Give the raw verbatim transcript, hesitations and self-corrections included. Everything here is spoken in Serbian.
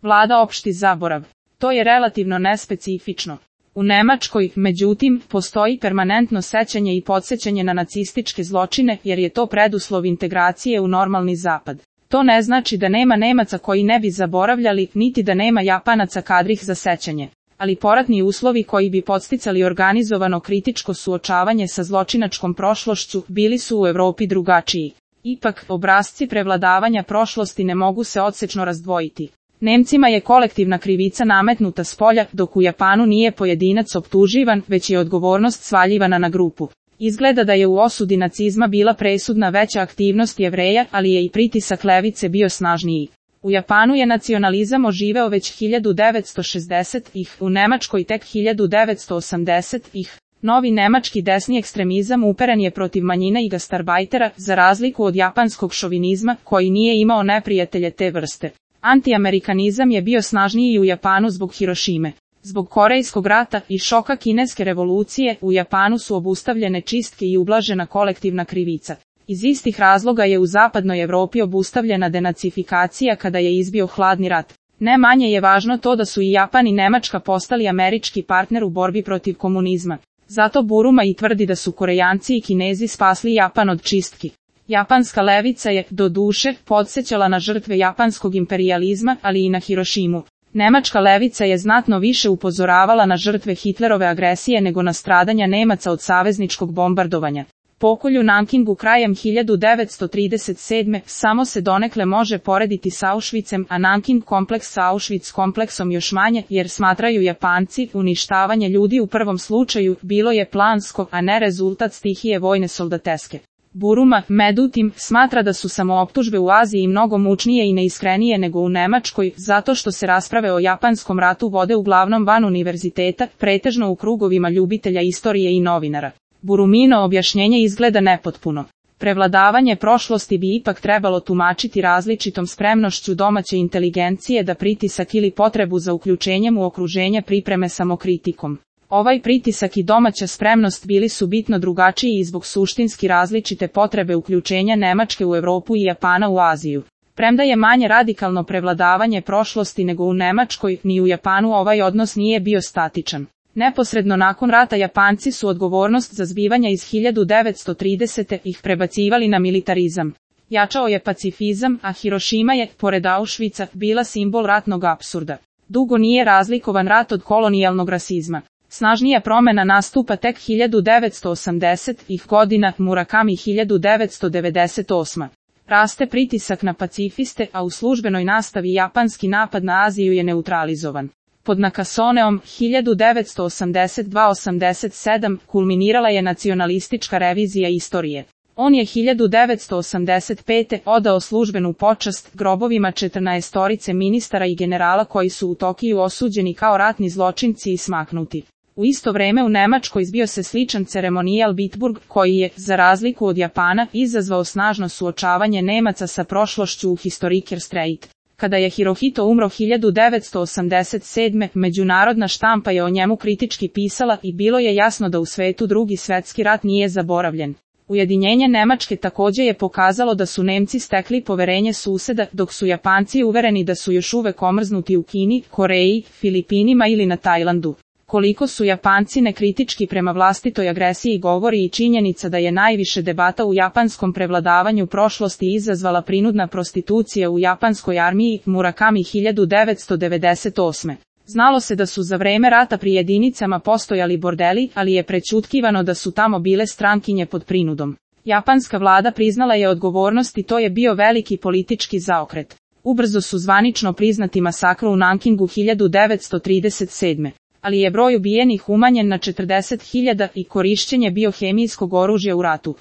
Vlada opšti zaborav. To je relativno nespecifično. U Nemačkoj, međutim, postoji permanentno sećanje i podsjećanje na nacističke zločine jer je to preduslov integracije u normalni zapad. To ne znači da nema Nemaca koji ne bi zaboravljali, niti da nema Japanaca kadrih za sećanje. Ali poratni uslovi koji bi podsticali organizovano kritičko suočavanje sa zločinačkom prošlošću bili su u Evropi drugačiji. Ipak, obrasci prevladavanja prošlosti ne mogu se odsečno razdvojiti. Nemcima je kolektivna krivica nametnuta spolja, dok u Japanu nije pojedinac optuživan, već je odgovornost svaljivana na grupu. Izgleda da je u osudi nacizma bila presudna veća aktivnost Jevreja, ali je i pritisak levice bio snažniji. U Japanu je nacionalizam oživeo već hiljadu devetsto šezdesetih, u Nemačkoj tek hiljadu devetsto osamdesetih. Novi nemački desni ekstremizam uperen je protiv manjine i gastarbajtera, za razliku od japanskog šovinizma, koji nije imao neprijatelje te vrste. Antiamerikanizam je bio snažniji u Japanu zbog Hirošime. Zbog Korejskog rata i šoka kineske revolucije, u Japanu su obustavljene čistke i ublažena kolektivna krivica. Iz istih razloga je u zapadnoj Evropi obustavljena denacifikacija kada je izbio hladni rat. Ne manje je važno to da su i Japan i Nemačka postali američki partner u borbi protiv komunizma. Zato Buruma i tvrdi da su Korejanci i Kinezi spasli Japan od čistki. Japanska levica je, do duše, podsjećala na žrtve japanskog imperijalizma, ali i na Hirošimu. Nemačka levica je znatno više upozoravala na žrtve Hitlerove agresije nego na stradanja Nemaca od savezničkog bombardovanja. Pokolj u Nankingu krajem hiljadu devetsto trideset sedme samo se donekle može porediti s Auschwitzem, a Nanking kompleks sa Auschwitz kompleksom još manje, jer smatraju Japanci uništavanje ljudi u prvom slučaju bilo je plansko, a ne rezultat stihije vojne soldateske. Buruma, međutim, smatra da su samooptužbe u Aziji mnogo mučnije i neiskrenije nego u Nemačkoj, zato što se rasprave o japanskom ratu vode uglavnom van univerziteta, pretežno u krugovima ljubitelja istorije i novinara. Burumino objašnjenje izgleda nepotpuno. Prevladavanje prošlosti bi ipak trebalo tumačiti različitom spremnošću domaće inteligencije da pritisak ili potrebu za uključenjem u okruženje pripreme samokritikom. Ovaj pritisak i domaća spremnost bili su bitno drugačiji i zbog suštinski različite potrebe uključenja Nemačke u Evropu i Japana u Aziju. Premda je manje radikalno prevladavanje prošlosti nego u Nemačkoj, ni u Japanu ovaj odnos nije bio statičan. Neposredno nakon rata Japanci su odgovornost za zbivanja iz hiljadu devetsto tridesete ih prebacivali na militarizam. Jačao je pacifizam, a Hirošima je, pored Auschwitza, bila simbol ratnog apsurda. Dugo nije razlikovan rat od kolonijalnog rasizma. Snažnija promjena nastupa tek hiljadu devetsto osamdesetih godina, Murakami hiljadu devetsto devedeset osme. Raste pritisak na pacifiste, a u službenoj nastavi japanski napad na Aziju je neutralizovan. Pod Nakasoneom hiljadu devetsto osamdeset dva do osamdeset sedam kulminirala je nacionalistička revizija istorije. On je hiljadu devetsto osamdeset pete odao službenu počast grobovima četrnaestorice ministara i generala koji su u Tokiju osuđeni kao ratni zločinci i smaknuti. U isto vreme u Nemačkoj zbio se sličan ceremonijal Bitburg, koji je, za razliku od Japana, izazvao snažno suočavanje Nemaca sa prošlošću u Historiker Streit. Kada je Hirohito umro hiljadu devetsto osamdeset sedme, međunarodna štampa je o njemu kritički pisala i bilo je jasno da u svetu Drugi svjetski rat nije zaboravljen. Ujedinjenje Nemačke također je pokazalo da su Nemci stekli poverenje suseda, dok su Japanci uvereni da su još uvek omrznuti u Kini, Koreji, Filipinima ili na Tajlandu. Koliko su Japanci nekritički prema vlastitoj agresiji govori i činjenica da je najviše debata u japanskom prevladavanju prošlosti izazvala prinudna prostitucija u japanskoj armiji, Murakami hiljadu devetsto devedeset osme. Znalo se da su za vreme rata pri jedinicama postojali bordeli, ali je prećutkivano da su tamo bile strankinje pod prinudom. Japanska vlada priznala je odgovornost i to je bio veliki politički zaokret. Ubrzo su zvanično priznati masakr u Nankingu hiljadu devetsto trideset sedme. Ali je broj ubijenih umanjen na četrdeset hiljada i korišćenje biohemijskog oružja u ratu.